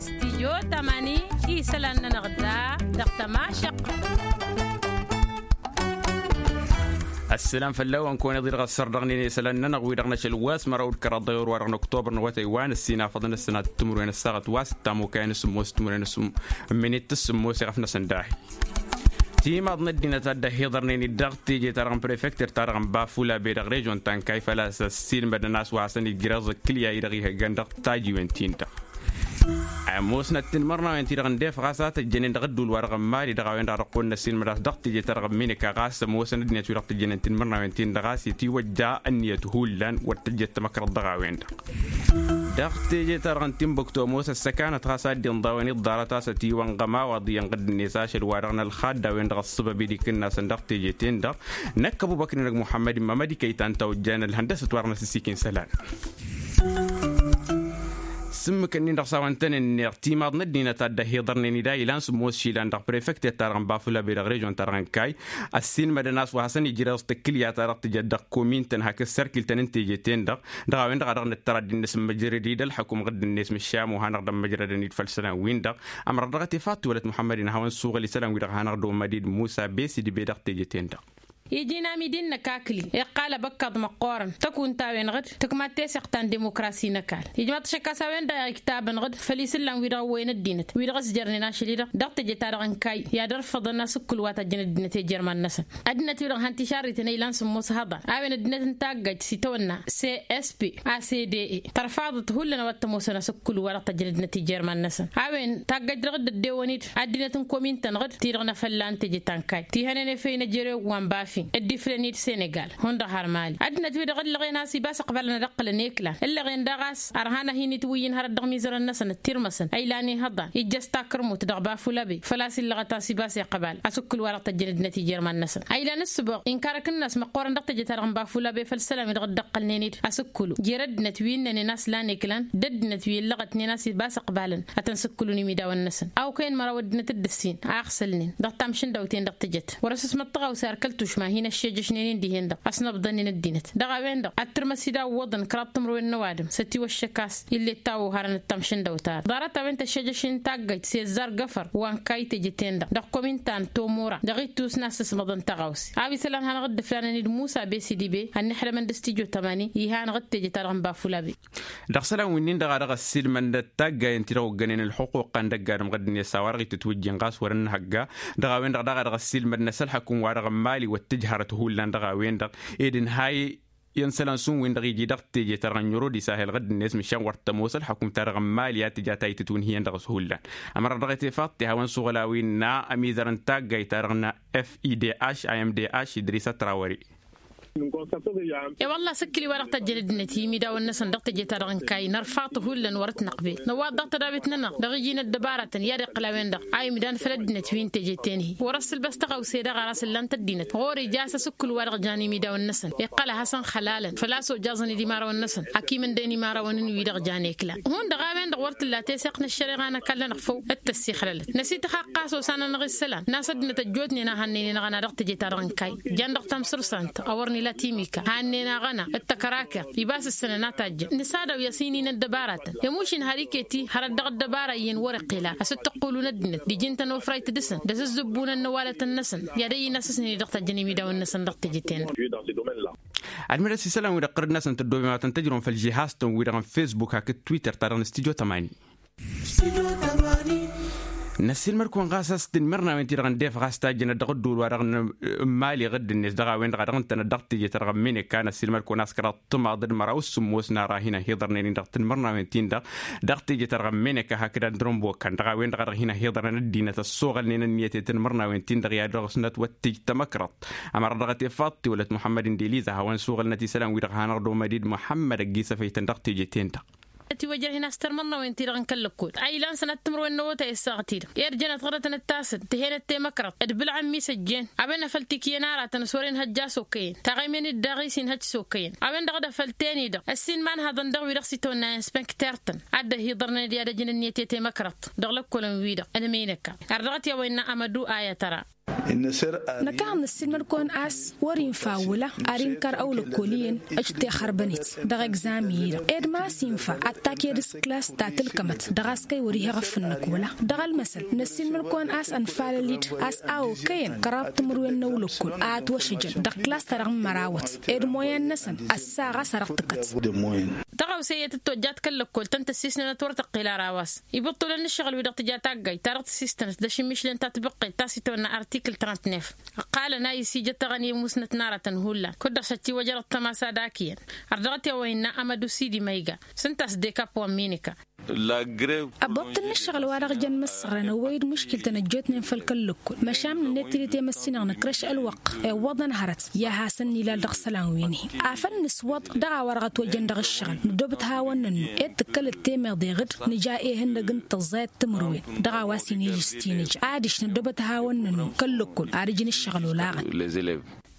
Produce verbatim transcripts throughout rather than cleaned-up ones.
Stijyo tamani isălan-nănăɣ da dăɣ-tămašăqq. Ăsselam fălla-wen kăwăn-iḍi dăɣ-ăssărḍăɣnen isălan-nănăɣ wi-dăɣ n-ašăl wa s-măraw d-kăraḍ dăɣ-ewăr wa dăɣ-năktobăr n-awătay wa n-ăssinafăḍăn ăssănat timǝrwen ăssaɣăt wa s-ăttamukăyăn s-ămoos timǝrwen s-ǝmminit s-ămoos iɣăf-năsăn dahi. Timaḍ n-ăddinăt a dd-ăhiḍărnen-dd dăɣ-teje-ta-dăɣ n-prefekter-ta-dăɣ n-bafula be dăɣ-režon ta n-kayfăl a-s ăssiilmădăn a-s wa hasăn-ijreẓ ǝkkǝlya-i-dăɣ ihăjjan dăɣ-tajiwen-tin-dăɣ. Ămoosnăt tinmărnawen-ti-dăɣ ǝndef ɣas a tăjjănen dăɣ-ădduul-wa-dăɣ n-mali dăɣ-a-wen-dăɣ a dăɣ-kăwăn-năsiilmăd a-s dăɣ-teje-ta-dăɣ n-mineka ɣas ămoosăn ăddinăt-wi-dăɣ tǝjjănen tinmărnawen-tin-dăɣ a-s itiwăjja ǝnniyăt hullan wăr tăjjăt tamăkrăḍt dăɣ-a-wen-dăɣ. Dăɣ-teje-ta-dăɣ n-tinbuktu ămoos ăssăkanăt ɣas a dd-inḍa a-wen iḍḍarăt a-s ătiwănɣăm a-wa ḍiyyăn ɣǝdd-net ašăl-wa-dăɣ n-ălxadda a-wen-dăɣ ăṣṣăbăb i-dd-ikǝnna a-săn dăɣ-teje-ten-dăɣ. Năkk ăbubăkr-inăg muḥămmăd imma mădikăy ta n-tawăjjan ălhăndăsăt-wa-dăɣ n-asǝssikǝy n-isălan. S-ǝmmǝk-ǝnnin-dăɣ s-a-wa ǝntănen-neɣ timaḍ n-ăddinăt a dd-ăhiḍărnen-dd a ilan sǝmmos išilan dăɣ-prefektet-ta-dăɣ n-bafula be dăɣ-režon-ta-dăɣ n-kay. Ăssiilmădăn a-s wa hasăn-ijreẓ tǝkkǝlya-ta-dăɣ tǝjăt dăɣ-komin-tăn hakd sărkǝl-tăn n-teje-ten-dăɣ. Dăɣ-a-wen-dăɣ a dăɣ-nǝttăr ad-dd-nǝsǝmmǝjrăd-dd ălxukǝm ɣǝdd-net mǝššam wa hanăɣ-dd-ămmǝjrădăn-dd făll-isălan-win-dăɣ. Ămrăɣ dăɣ-t ifaḍ tiwălăt muḥămmăd-in ad-hawăn-suɣǝl isălan-wi-dăɣ hanăɣ-dd-ommăd-dd musa besidi be dăɣ-teje-ten-dăɣ. Iji n-amidi-năk akli iqqal abăkkaḍ măqqoorăn tăkunt-a-wen-dăɣ d-tǝkmat teseɣt ta n-demokrasi n-ăkall ijmaḍ-t ašăk a-s a-wen-dăɣ iktabăn-dăɣ d-făll-isǝllan-wi-dăɣ ăwwăyăn ăddinăt wi-dăɣ ăsjărnen ašăl-i-dăɣ dăɣ-teje-ta-dăɣ n-kayy i-ad-ărfăḍăn asǝkkǝl wa tăjjăn ăddinăt i-ijărman-năsăn. Ăddinăt-wi-dăɣ han tišarriten a ilan sǝmmos ihăḍan a-wen ăddinăt n-taggajt s-itawănna csp a s d e tărfaḍăt hullan a-wa t-ămoosăn asǝkkǝl wa dăɣ-tăjjăn ăddinăt i-ijărman-năsăn a-wen taggajt dăɣ-dd-ăddewăn-dd ăddinăt n-komin-tăn-dăɣ d-ti-dăɣ n-afălla n-teje ta n-kayy ti hănen efăy n-ejărew wa n-bafin dd-iflăn-dd senegal hundăɣ har mali ăddinăt-wi-dăɣ ǝllăɣen a-s ibas ǝqbalăn ad-ǝqqǝlăn i-iklan ǝllăɣen daɣ a-s ărhan ad-hin-itwǝyyǝn hărăt dăɣ-imizărăn-năsăn ǝttirmăsăn a ilan ihăḍan ijjăs takărmut dăɣ-bafulabe făl-a-s illăɣăt a-s ibas iqbal asǝkkǝl wa dăɣ-tăjjăn ăddinăt i-ijărman-năsăn a ilan ǝssǝboɣ inkar akǝnnas măqqoorăn dăɣ-teje-ta-dăɣ n-bafulabe făll-isălan-wi-dăɣ dd-ăqqălnen-dd asǝkkǝlu jer-ăddinăt wi ǝnnănen a-s lan iklan d-ăddinăt wi ǝllăɣătnen a-s ibas ǝqbalăn ad-tăn-sǝkkǝlun imidawăn-năsăn a okăyăn măraw ăddinăt dd-ǝssin a ăɣsǝlnen dăɣ-tamšǝndawt-en-dăɣ tǝjăt wăr-ăsǝsmăḍ tăɣawse ar kăl-tušma hin-ăššejăšnen-in dihen-dăɣ ăsnăbḍănnen ăddinăt dăɣ-a-wen-dăɣ ad-tǝrmăs-dd a ǝwwăḍăn kăraḍ timǝrwen n-ăwadǝm s-ătiwăššăk a-s ill'-e t-tawwăharăn d-tamšǝndăwt-a-dăɣ ḍarăt a-wen tăššejăš-in taggajt s-ezzar găfăr wa n-kayy teje-ten-dăɣ dăɣ-komin ta n-tomora dăɣ-ittus n-ad-sǝsmăḍăn tăɣawse a-wa isălan hanăɣ-dd-ǝflanăn-dd musa besidi be ănniḥdămăn d-studyo tămani iha-năɣ d-teje-ta-dăɣ n-bafulabe. Dăɣ-isălan wi-nin-dăɣ a dăɣ-ăssiilmăndăt taggayen-ti-dăɣ oggănen ălxuquq-an d-ăgg-adǝm ɣǝdd-net a-wa dăɣ-itǝtwǝjjin ɣas wăr-ănnăhăgga. Dăɣ-a-wen-dăɣ daɣ a dăɣ-ăssiilmădnăs ălxăkum-wa-dăɣ n-imali wăr tǝjhărăt hullan dăɣ-a-wen-dăɣ ed ǝnhay i-ănn isălan s-un-win-dăɣ iji dăɣ-teje-ta-dăɣ n-ɲurud isahel ɣǝdd-net măšan wăr tămoos ălxăkum-ta-dăɣ n-imali a tǝja ta itǝtwǝnhǝyăn dăɣ-s hullan. Ămăra dăɣ-e tefaḍt ti hawăn-suɣǝl a-wa innă ămizăr n-taggayt-ta-dăɣ n-fidh imdh idris ătrawări. I-wălla asǝkkǝl-i-wa-dăɣ tăjjăn ăddinăt i-imidawăn-năsăn dăɣ-teje-ta-dăɣ n-kayy nărfaḍ hullan wăr-ătnăqbel năwwaḍ dăɣ-tădawit-nănăɣ dăɣ-iji n-ăddăbarătăn i-ad-iqqǝl a-wen-dăɣ a imdan făll-ăddinăt wi n-teje-ten-hi wăr-ăssǝlbăs tăɣawse daɣ ar asǝllan-t ăddinăt ɣur-ija a-s asǝkkǝl-wa-dăɣ jan imidawăn-năsăn iqqăl a hasăn-xălalăn făl-a-s ojaẓăn-dd imarawăn-năsăn. Akimǝndăyăn imarawăn-in-wi-dăɣ jan eklan hundăɣ a-wen-dăɣ wăr t-tǝlla teseɣt n-ăššăreɣa n-ăkall-nănăɣ făw d-tăssixlălăt năsităx aqqas osanăn-dăɣ isălan n-a-s ăddinăt ăjjootnen a hannăynen aɣăna dăɣ-teje-ta-dăɣ n-kayy jan dăɣ-tamsǝrsant a wăr nǝla timika hannăynen-aɣăna d-tăkărakeḍt ibas ǝssănăn a tajjăn nǝsadaw i-asǝynin ăddăbaratăn i-mušin har iket-i hărăt dăɣ-ăddăbara iyyăn wăr-iqqel ara a-s dd-tǝqqulun ăddinăt d-iji n-tănofrayt dăɣ-săn d-asǝzzǝbbunăn n-ăwalătăn-năsăn i-ad-ăyy n-asǝsnen-i dăɣ-tajjăn imidawăn-năsăn dăɣ-teje-ten-dăɣ. Ad-măres isălan-wi-dăɣ ɣărăt-năsăn tăddoobem ad-tăn-tăjrăwăm făll-žihaz-tăn-wi-dăɣ n-fesbuk hakd twitter-ta-dăɣ n-studyo tămani. Năssiilmăd-kăwăn ɣas a-s tinmărnawen-ti-dăɣ ǝndef ɣas tajjănăt dăɣ-ădduul-wa-dăɣ n-mali ɣǝdd-net dăɣ-a-wen-dăɣ a dăɣ-ǝntănăt dăɣ-teje-ta-dăɣ n-mineka năssiilmăd-kăwăn a-s kăraḍ timaḍ d-măraw s-sǝmmos n-ara a hin-ăhiḍărnen-in dăɣ-tinmărnawen-tin-dăɣ dăɣ-teje-ta-dăɣ n-mineka hakd andrănbokăn dăɣ-a-wen-dăɣ a dăɣ-hin-ăhiḍărnen ănniyăt i-tinmărnawen-tin-dăɣ i-ad-dăɣ-snăt wăr t-tǝj tamăkrăḍt. Ămăra dăɣ-tefaḍt tiwălăt muḥămmăd-in d-eliza a hawăn-suɣǝlnăt isălan-wi-dăɣ hanăɣ-dd-omăd-dd muḥămmăd ăgg-isăfăytăn dăɣ-teje-ten-dăɣ. Tiwăjrăh-in a-s tărmăḍnăwen-ti-dăɣ n-kăl-lăkkot a ilan sănat timǝrwen n-awătay ăssaɣăt-i-dăɣ erd jănăt ɣărătăn d-tasǝd tǝhenăt temăkrăḍt d-bǝlɣăn mi s-ăjjeen a-wen a făl tikǝyăn aratăn s-wăren hăjja s-okăyăn taɣăymen-dd daɣ-i s-inhăj s-okăyăn a-wen-dăɣ d-afăl teni-dăɣ ăssin imanhăḍăn dăɣ-wi-dăɣ s-itawănna inspănkter-tăn ad-dd-ăhiḍărnen i-ad-ăjǝn ǝnniyăt i-temăkrăḍt dăɣ-lăkkolăn-wi-dăɣ n-minăkka. Ar dăɣ-t i-a-wa innă amădu ayătăra. Năkăneḍ năssiilmăd-kăwăn a-s wăr-infa wăla ad-inkăr ăwlăkkol iyyăn ăj tixărbănet dăɣ-egzami-i-dăɣ ed ma s-infa ad-taked s-klas ta tǝlkămăt dăɣ-a-s kăy wăr-ih eɣăf-năk wăla. Dăɣ-ălmăsăl năssiilmăd-kăwăn a-s ănfalăl-dd a-s a okăyăn kăraḍ timǝrwen n-ăwlăkkol a ătwăšăjăn dăɣ-klas-ta-dăɣ n-mărawăt ed moyen-năsăn ăssa ɣas a dăɣ-tǝkkăt. Tăɣawse iyyăt dd-tojjat kăl-lăkkol tăn-tăssisnănăt wăr tăqqel ara a-wa s-ibǝṭṭulăn n-ǝššăɣǝl-wi-dăɣ tǝja taggayt ta dăɣ-tăssistănăt d-ašǝmmišlăn ta tibǝqqet ta s-itawănna artikǝl trant-nef. Ǝqqalăn a isijăt aɣăni musnăt n-aratăn hullan kud-dăɣ šăttiwăjărăt tămasa d-akǝyăn. Ărdăɣăt i-a-wa innă amădu sidi ma iga s-ǝnta a-s dekap wa n-minika. Ăbbuṭṭǝl n-ǝššăɣǝl wa dăɣ-jăn imǝssăɣrăn ăwwăy-dd muškiltăn ăjjootnen făll-kăl-lăkkol măšan n-net tidǝt i-măssinăɣ năkrăš ălwăqq i-ǝwwăḍăn hărăt i-ad-hasăn-nilal dăɣ-isălan wi n-hi. Afăl nǝswăḍ dăɣ-a-wa dăɣ-ătwăjjăn dăɣ-ǝššăɣǝl nǝddobăt hawăn-nănnu ed tǝkkălăt temeḍe ɣǝd nǝja ehăn-năg n-tăẓẓayăt timǝrwen dăɣ-a-wa s-inǝjjǝs tinǝj adiš nǝddobăt hawăn-nănnu kăl-lăkkol ad-ǝjǝn ǝššăɣǝl olaɣăn.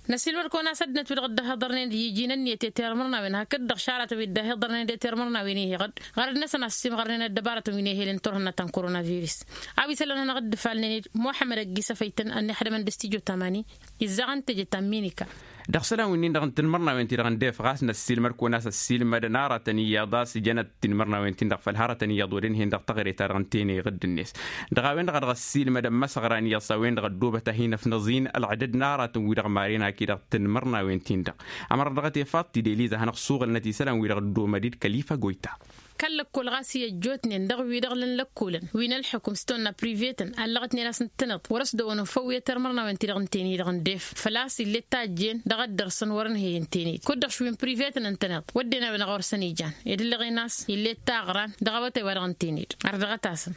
Năsiilmăd-kăwăn a-s ăddinăt wi-dăɣ dd-ăhhiḍărnen d-iji n-ǝnniyăt i-tirmărnawen hakd-dăɣ šaratăn wi dd-ăhhiḍărnen d-etirmărnawen-i-hi ɣǝd ɣărăd-năsăn a-s simɣărnen ăddăbarătăn wi n-ehel n-turhǝnna ta n-koronavirus. A-wa isălan hanăɣ-dd-ǝfalnen-dd muḥămmăd ăgg-isăfăytăn ănnixdămăn d-studyo tamani izzăɣăn teje ta n-minika. Dăɣ-isălan winnin-dăɣ n-tinmărnawen-ti-dăɣ n-def ɣas năssiilmăd-kăwăn a-s ăssiilmădăn aratăn iyyăḍ a-s jănăt tinmărnawen-tin-dăɣ făll-hărătăn iyyăḍ wăren-hin-dăɣ taɣre-ta-dăɣ n-tene ɣǝdd-net. Dăɣ-a-wen-dăɣ a dăɣ-ăssiilmădăn imăsăɣran iyyăḍ s-a-wen-dăɣ ăddoobăt a hin-ăfnăẓ-in ălɣădăd n-aratăn-wi-dăɣ maren hak-i-dăɣ tinmărnawen-tin-dăɣ. Ămăra dăɣ-tefăḍt tideliza hanăɣ-suɣǝlnăt isălan-wi-dăɣ ăddoomăd-dd kăl-ifăgoyta. Kăl-lăkkol ɣas i-ăj jootnen dăɣ-wi-dăɣ lăn lăkkolăn wi n-ălḥukǝm s-tonna privetăn ăllăɣătnen a-s ǝntăneḍ wăr-ăsdăwănăn făw i-tirmărnawen-ti-dăɣ n-tenăy-dăɣ n-def făl-a-s ill'-e d tajjen dăɣ-ăddărsăn wăr-ǝnhăyăn tenăy kud-dăɣ šwin privetăn ǝntăneḍ wădden a-wen-dăɣ a wăr săn ijan ed ǝllăɣen a-s ill'-e d taɣran dăɣ-awătay wa dăɣ-n tenăy-dăɣ. Ărdăɣăt-asăn.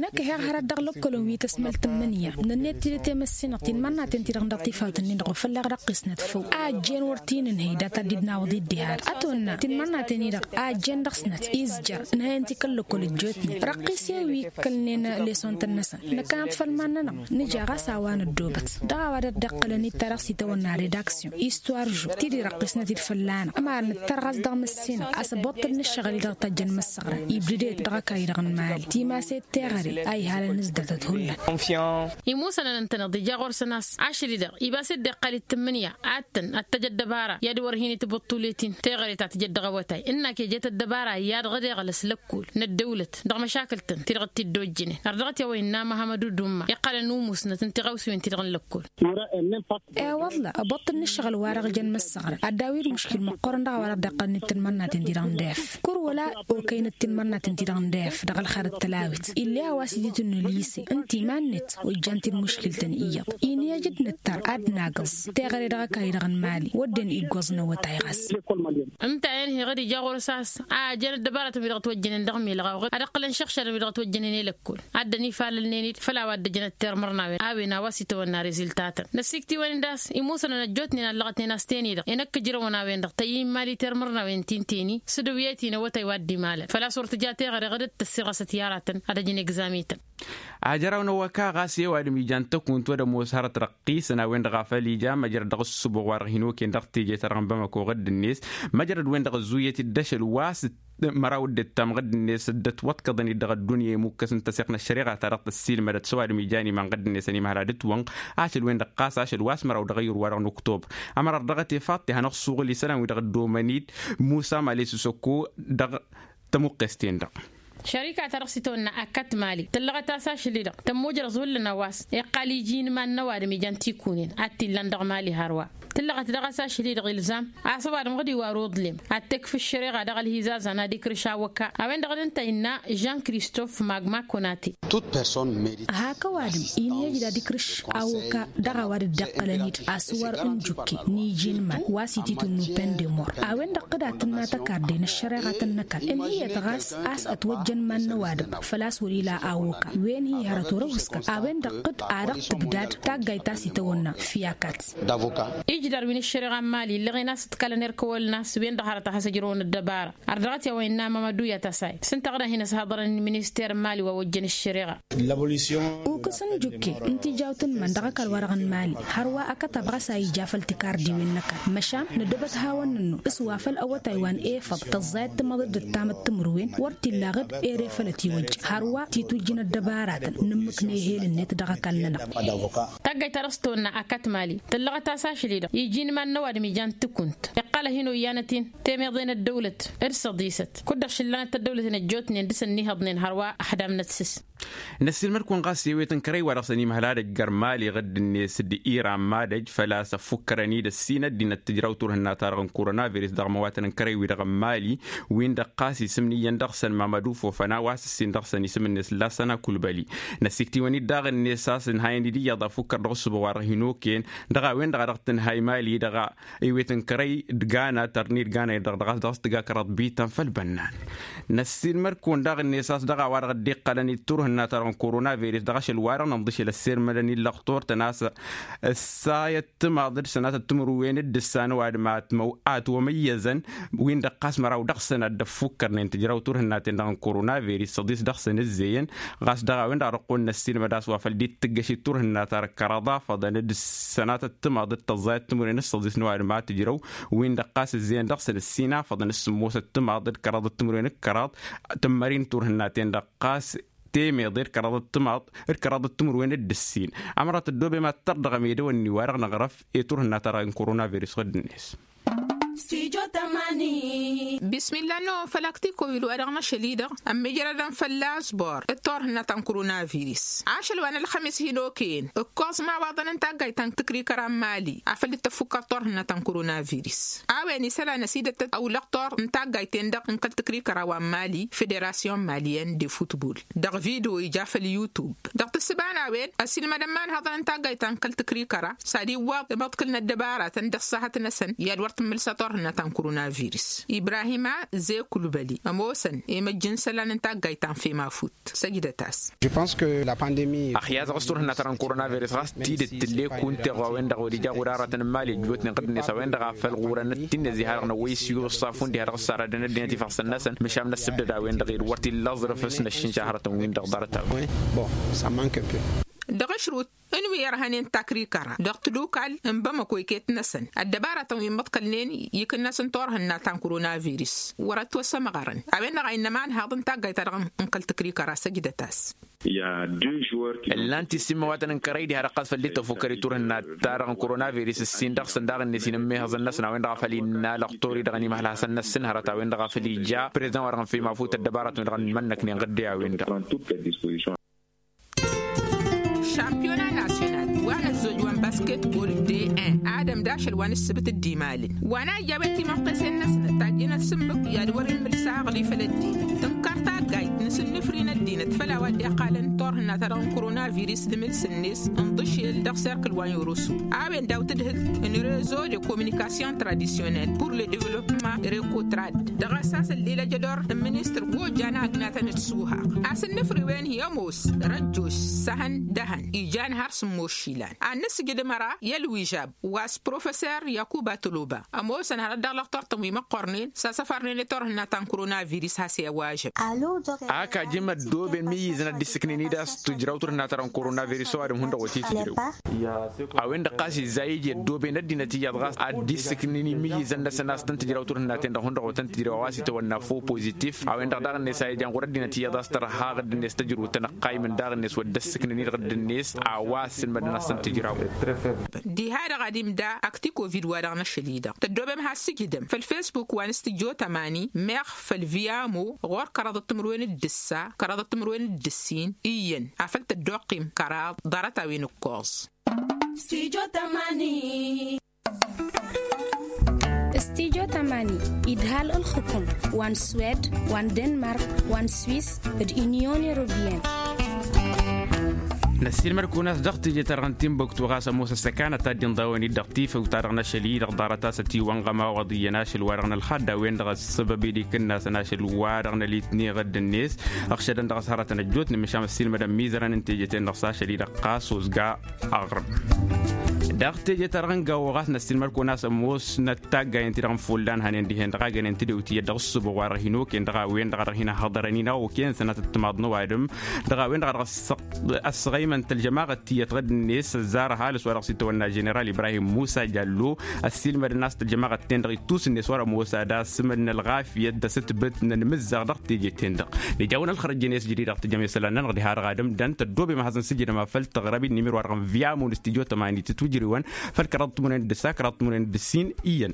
Năkk ăhiɣ hărăt dăɣ-lăkkolăn wi tăsmăl tǝmmǝnǝya nănnet tidǝt i-măssinăɣ tinmărnaten-ti-dăɣ n-dăɣ tifawt-nin-dăɣ wa fălla-ɣ dăɣ-qisnăt făw a ăjjeen wăr t-in-ǝnhăy data dd-innawăḍ i-dd-iha-dăɣ ătwănna tinmărnaten-i-dăɣ a ăjjeen dăɣ-snăt izjăr ǝnhăyăn-t i-kăl-lăkkol ăjjootnen răqqis i-wi ǝkkălnen lesson-tăn-năsăn. Năkkăneḍ făll-iman-nănăɣ nǝja ɣas a-wa năddoobăt dăɣ-a-wa dăɣ-dd-iqqălăn-dd ta dăɣ-s itawănna redaksyon histoire-žu ti-di răqqisnăt-dd fălla-năɣ ămăra nǝttăr ɣas dăɣ-măssinăɣ a-s ăbbuṭṭăl n-ǝššăɣǝl-i-dăɣ tajjăn măssăɣrăn ibdǝdet dăɣ-ăkall-i-dăɣ n-imali timaset teɣăre a ihalăn ǝzdătăt hullan. Imusănăn ǝntăneḍ ija ɣur-săn a-s ašăl-i-dăɣ ibas-dd iqqal-it tǝmmǝnǝya ad-tăn ad-tăj ăddăbara i-ad-wăr hin-itbǝṭṭulet-in teɣăre ta tǝjăt dăɣ-awătay ǝnna kejăt ăddăbara i-ad-ɣǝd iɣlăs lăkkol n-ăddăwlăt dăɣ-măšakǝl-tăn ti-dăɣ t-dd-ojjǝnen. Ărdăɣăt i-a-wa innă măhămăd udumma iqqălăn umusnăt n-tiɣawsiwen-ti-dăɣ n-lăkkol. E-wălla ăbbuṭṭǝl n-ǝššăɣǝl-wa-dăɣ jăn măssăɣrăn ad-daw-dd muškil măqqoorăn dăɣ-a-wa dăɣ-dd-iqqălăn-dd tinmărnaten-ti-dăɣ n-def. Kăr wăla okăynăt tinmărnaten-ti-dăɣ n-def dăɣ-ălxer d-tălawit ill'-e a-wa s-ititǝnnu lise ǝnta iman-net ojjan-t-dd muškil-tăn iyyăḍ. Inhăj d-nǝttăr ad-nagǝẓ teɣăre dăɣ-ăkall-i-dăɣ n-imali wădden iggoẓ n-awătay ɣas. Ǝnta a inhăy ɣǝd ija ɣur-s a-s a ăjjăn ăddăbaratăn wi dăɣ-ătwăjjănen dăɣ-milɣa oɣăd ad-ăqqǝlăn šăɣšadăn wi dăɣ-ătwăjjănen i-lăkkol ad-dănifalălnen-dd făll-a-wa dd-ăjănăt tirmărnawen a-wen a-wa s-itawănna reziltatăn. Năssiktǝwăn-dd a-s imusănăn ăjjootnen a ǝllăɣătnen a-s ten-i-dăɣ i-năkk ǝjrăwăn a-wen-dăɣ tăyy n-imali tirmărnawen ti n-teni s-dăw i-ăyt-in awătay wa dd-imalăn făl-a-s wăr tǝja teɣăre ɣǝdăt tăssirɣăsăt i-aratăn ad-ăjǝn egzami-tăn. Ajăraw n-awăka ɣas i-ăwadǝm ijan tăkunt wăr ămoos hărăt răqqisăn a-wen-dăɣ a făl ija măjrăd dăɣ-ǝssǝboɣ wa-dăɣ hin-okăyăn dăɣ-teje-ta-dăɣ n-bamăko ɣǝdd-net. Măjrăd-wen-dăɣ ăzzuyăt-dd ašăl wa s-măraw dd-ǝttam ɣǝdd-net dd-ătwăḍkăḍăn-dd dăɣ-ăddunya i-imukkăs n-tăsiɣt n-ăššăreɣa-ta-dăɣ tăssiilmădăt s-ăwadǝm ijan iman ɣǝdd-net ănimăhăl ad-ǝtwănɣ. Ašăl-wen-dăɣ ɣas ašăl wa s-măraw dăɣ-ayyur wa-dăɣ n-oktobăr. Ămăra ărdăɣăt i-faḍt ihănăɣ-suɣǝl isălan-wi-dăɣ ăddoomăn-dd musa male s-isăkko dăɣ-tămuqqes-ten-dăɣ. Šărika-ta-dăɣ s-itawănna akkat mali tǝllăɣăt a-s ašăl-i-dăɣ tămmujrăẓ hullan a-wa s-e iqqal iji n-iman n-ăwadǝm ijan tikunen ad-t-illan dăɣ-mali hărwa. Tǝllăɣăt daɣ a-s ašăl-i-dăɣ ilzam a-s ăwadǝm ɣǝd-iwar uḍlem ad-t-ekf ǝššăreɣa dăɣ-ălhizazan ad-ikrǝš awăka a-wen-dăɣ d-ǝnta innă jean kristof magma konate. Hak ăwadǝm inhăj d-ad-ikrǝš awăka dăɣ-a-wa dd-iqqălăn-dd asǝwăr n-jukke n-iji n-iman wa s-ititǝnnu pendemor a-wen-dăɣ dd-ad-tǝnna tăkarde n-ăššăreɣa tăn-năkall ǝnhǝyăt ɣas a-s ătwăjjăn iman n-ăwadǝm. Făl-a-s wăr-ila awoka wen-hi hărăt wăr-ăwhǝskăt a-wen-dăɣ dd-a dăɣ-tǝbdad taggayt ta s-itawănna fiyakat. Ǝjǝdar wi n-ăššăreɣa n-mali ǝllăɣen a-s ǝḍkălăn erk ăwălăn a-s wen-dăɣ hărăt a has-ăjrăwăn ăddăbara. Ar dăɣ-t i-a-wa innă mamădu i-ad-tasay s-ǝnta ɣǝd-ahin ăshăḍărăn minister n-mali wa ojjăn ăššăreɣa. Ukǝs n-jukke n-tijawt n-iman dăɣ-ăkall-wa-dăɣ n-mali hărwa ăkătab ɣas a ija făll-tikardiwen n-ăkall măšan năddobăt hawăn-nănnu s-wa făll-awătay wa n-efăḍ tăẓẓayăt tǝmăḍăt d-ăttamăt timǝrwen wăr t-illa ɣǝd ere făll-ătiwăjja hărwa titujjin ăddăbaratăn n-ǝmmǝk n-ehel-net dăɣ-ăkall-nănăɣ. Taggayt ta dăɣ-s tăwănna akăt mali tǝllăɣăt-as ašăl-i-dăɣ iji n-iman n-ăwadǝm ijan tǝkunt iqqăl ad-hin-oyyanăt-in temeḍe n-ăddăwlăt d-săḍisăt kud-dăɣ šǝllanăt tăddăwlăt n-ăjjootnen dăɣ-săn n-ihăḍnen hărwa ăxdamnăt s-s. Năssiilmăd-kăwăn ɣas i-ewet n-kărăy wa dăɣ-săn imhăl ad-ăjjăr mali ɣǝdd-net d-iran mad-ăj făl-a-s ăffukkărăn-dd ăssin ăddinăt tǝjraw turhǝnna-ta-dăɣ n-koronavirus dăɣ-măwatăn n-kărăy-wi-dăɣ n-mali. Win-dăɣ ɣas isǝmnǝyyăn dăɣ-săn mamădu fofăna wa s-ǝssin dăɣ-săn isǝm-net lasăna kulbăli. Năsiktiwăn-dd daɣ-net a-s ǝnhayăn-dd iyyăḍ afukăr dăɣ-ǝssǝba wa dăɣ-hin-okăyăn dăɣ-a-wen-dăɣ a dăɣ-tǝnhay mali-dăɣ. Iwet n-kărăy d-gana tărni d-gana-i-dăɣ dăɣ-a-s dăɣ-s tǝga kăraḍ bităn făll-bănnan. Năssiilmăd-kăwăn daɣ-net a-s dăɣ-a-wa-dăɣ dd-iqqălăn d-turhǝnna-ta-dăɣ n-koronavirus dăɣ-ašăl-wa-dăɣ nǝnḍǝšel ăssirmădăn-in lăxtur-tăn a-s ăssayăt timaḍ d-sănatăt timǝrwen d-ǝssan ăwadǝm a ătwămăyyăzăn. Win-dăɣ ɣas măraw dăɣ-săn ad-dd-ăffukkărnen tǝjraw turhǝnnaten-dăɣ n-koronavirus săḍis dăɣ-săn ǝzzeyăn. Ɣas dăɣ-a-wen-dăɣ dăɣ-kăwăn-năssiilmăd a-s wa făl dd-tǝggăšit turhǝnna-ta-dăɣ kăraḍ afăḍăn d-sănatăt timaḍ d-tăẓẓayăt timǝrwen d-săḍis n-ăwadǝm a tǝjrăw. Win-dăɣ ɣas ǝzzeyăn dăɣ-săn ǝssin afăḍăn d-sǝmmosăt timaḍ d-kăraḍăt timǝrwen d-kăraḍ tǝmmări n-turhǝnnaten-dăɣ ɣas temeḍe d-kăraḍăt timaḍ d-kăraḍăt timǝrwen d-ǝssin. Ămărat ăddoobem ad-tărdăɣăm edăwănni-wa-dăɣ năɣrăf i-turhǝnna-ta-dăɣ n-koronavirus ɣǝdd-net. Bismilla n-ăwwăn făl aktikovid wa dăɣ-năšăl-i-dăɣ ămmijrădăn fălla-s bor d-turhǝnna ta n-koronavirus. Ašăl wa n-ălxămis hin-okăyăn ǝkkoẓ imawaḍăn n-taggayt ta n-tǝkrikăra n-mali afăl dd-tăffukkăr turhǝnna ta n-koronavirus. A-wen isălan ăsidăt ăwlăɣ tor n-taggayt-en-dăɣ n-kăl-tǝkrikăra wa n-mali federasyon maliyăn de futbol dăɣ-video ija făll-yutub. Dăɣ-tǝssǝba n-a-wen ăsilmădăn imanhăḍăn n-taggayt ta n-kăl-tǝkrikăra s-ad-iwwăḍ imǝḍkǝl n-ăddăbaratăn dăɣ-s ahăt-năsăn i-ad-wăr tǝmmǝlsa turhǝnna ta n-koronavirus. Ibrahima ze kulbăli ămoosăn i-măjj n-isălan n-taggayt ta n-femafut. Săjdăt-as. Ăxyazăɣ s-turhǝnna ta n-koronavirus ɣas tidǝt tǝllekunteɣ wa-wen-dăɣ wăr ija ɣur-aratăn n-imali ăjjootnen ɣǝddǝnet a-wen-dăɣ a făl ɣurăn ăttinne zi-ha-dăɣ năwwăy s-iwǝṣṣafun diha dăɣ-s saradăn ăddinăt ifassăn-năsăn măšan n-ăssǝbdăd a-wen-dăɣ ed wăr t-illa aẓrǝf s-năššǝnša hărătăn-win-dăɣ ḍarăt-a-wen. Dăɣ-ašrut n-wi ărhănen takrikăra dăɣ-tǝlukal n-bamăko iket-năsăn ăddăbaratăn wi măḍkălnen ikǝnnas n-turhǝnna ta n-koronavirus wăr ătwăsămɣărăn. A-wen-dăɣ a innă imanhaḍ n-taggayt-ta-dăɣ n-kăl-tǝkrikăra săjdăt-as. Ǝllan-t issin măwatăn n-kărăy diha-dăɣ ɣas făl dd-tăfukăr i-turhǝnna-ta-dăɣ n-koronavirus ǝssin dăɣ-săn daɣ-net inǝmmehăẓăn-năsăn a-wen-dăɣ a făl innă lăqtor-i-dăɣ ănimhăl hasăn-năssin hărăt a-wen-dăɣ a făl ija prezidăn wa dăɣ-năfăy mafut ăddăbaratăn-wi-dăɣ ănmănnăknen ɣǝdde a-wen-dăɣ. Šampiyona nasyonal wa n-ăzzoj wa n-basketbol d-en adăm d-ašăl wa n-ǝssǝbǝt d-imalǝn wa n-a ija a-wen timănqesen-năsnăt tajjănăt s-ǝmmǝk i-ad-wăr-inn mǝlsa aɣlif ălăddin tǝnkăr taggayt n-asǝnnǝfri n-ăddinăt făll-a-wa dd-iqqalăn turhǝnna-ta-dăɣ n-koronavirus d-imǝls-net ǝnḍǝšel dăɣ-serkǝl wa n-irusu. A-wen daw-tǝdhǝlt n-rezo de kominikasyon tradisyonel pur le devlopma rekotrad dăɣ-asas ăllilăj ădor n-ministăr wa ojjan agnatăn d-suhaɣ. Asǝnnǝfri-wen hi-ămoos răjjoš s-ehăn d-ehăn ijan har s-ămoos išilan ad-nǝssǝjǝd ămăra i-ălwižab wa s-professer yakuba toloba ămoosăn hărăt dăɣ-lăxtor-tăn wi măqqornen s-asăfarnen i-turhǝnna ta n-koronavirus has-i-ăwažăb. Ak ajǝm ăddooben mǝyyǝzăn ad-dd-issǝknen-dd a-s tǝjraw turhǝnna ta dăɣ-n koronavirus ăwadǝm hundăɣ wăr t-tǝjrew. A-wen-dăɣ ɣas izza iji ăddooben ăddinăt iyyăḍ ɣas ad-dd-issǝknen imǝyyǝzăn-năsăn a-s tăn-tǝjraw turhǝnnaten-dăɣ hundăɣ wa tăn-tǝjrew a-wa s-itawănna fo pozitif. A-wen-dăɣ daɣ-net a ijan ɣur-ăddinăt iyyăḍ a-s tărha ɣǝdd-net tăjrut tănăqqaymǝn daɣ-net wăr dd-ăssǝknăn-dd ɣǝdd-net a-wa ăssǝlmădăn a-s tăn-tǝjraw. Diha-dăɣ ad-imda aktikovid-wa-dăɣ n-ašăl-i-dăɣ tăddoobem has-sǝjdăm făll-fesbuk wa n-s tǝjjo tămani meɣ făll-viyamo ɣur-kăraḍăt timǝrwen d-ǝssa kăraḍăt timǝrwen d-ǝssin iyyăn afăl tăddoqqim kăraḍ ḍarăt-a-wen ǝkkoẓ. Stujo tămani. Stujo tămani idhal ǝlxǝkum wa n-swed wa n-denmark wa n-swis d-inyon europiyăn. Năssiilmăd-kăwăn a-s dăɣ-teje-ta-dăɣ n-tinbuktu ɣas ămoos ăssăkanăt ad-dd-inḍawăn-dd dăɣ-tifăw-ta-dăɣ n-ašăl-i-dăɣ ḍarăt a-s ătiwănɣăm a-wa ḍiyyăn ašăl-wa-dăɣ n-ălxadda a-wen-dăɣ ăssăbăb ed ikǝnnasăn ašăl-wa-dăɣ n-ălitneɣ dd-net. Ăɣšădăn dăɣ-s hărătăn ăjjootnen măšan ăssiilmădăn imizărăn n-teje-ten-dăɣ s-ašăl-i-dăɣ ɣas ozga aɣrǝm. Dăɣ-teje-ta-dăɣ n-gawăɣ a-s năssiilmăd-kăwăn a-s ămoosnăt taggayen-ti-dăɣ n-follan hănen dihen dăɣ-agănen tedewt iyyăt dăɣ-ǝssǝboɣ wa dăɣ-hin-okăyăn dăɣ-a-wen-dăɣ a dăɣ-hin-ăhhăḍărăn-in a okăyăn sănatăt timaḍ n-ăwadǝm dăɣ-a-wen-dăɣ a dăɣ-ăssăɣăymăn tălžămaɣăt tiyyăt ɣǝd-net ăzzar ăhalǝs wa dăɣ-s itawănna ženeral ibrahim musa jallo. Ăssiilmădăn a-s tălžămaɣăt-ten-dăɣ ittus-net wa dăɣ-ămoos ad-asǝmǝd n-ălɣafyăt d-asǝtbǝt n-ănmǝzzaɣ dăɣ-teje-ten-dăɣ. Nejawăn ălxărăt jenes jădid dăɣ-tǝjăm i-isălan-nănăɣ diha-dăɣ ad-ǝmdăn tăddoobem ad-hazăn sǝjǝdăm afăl tăɣrăb-in n-imir wa dăɣ-n vyamo n-studyo tămani tǝtwǝjrǝwăn făll-kăraḍ timǝrwen d-ǝssa kăraḍ timǝrwen d-ǝssin iyyăn.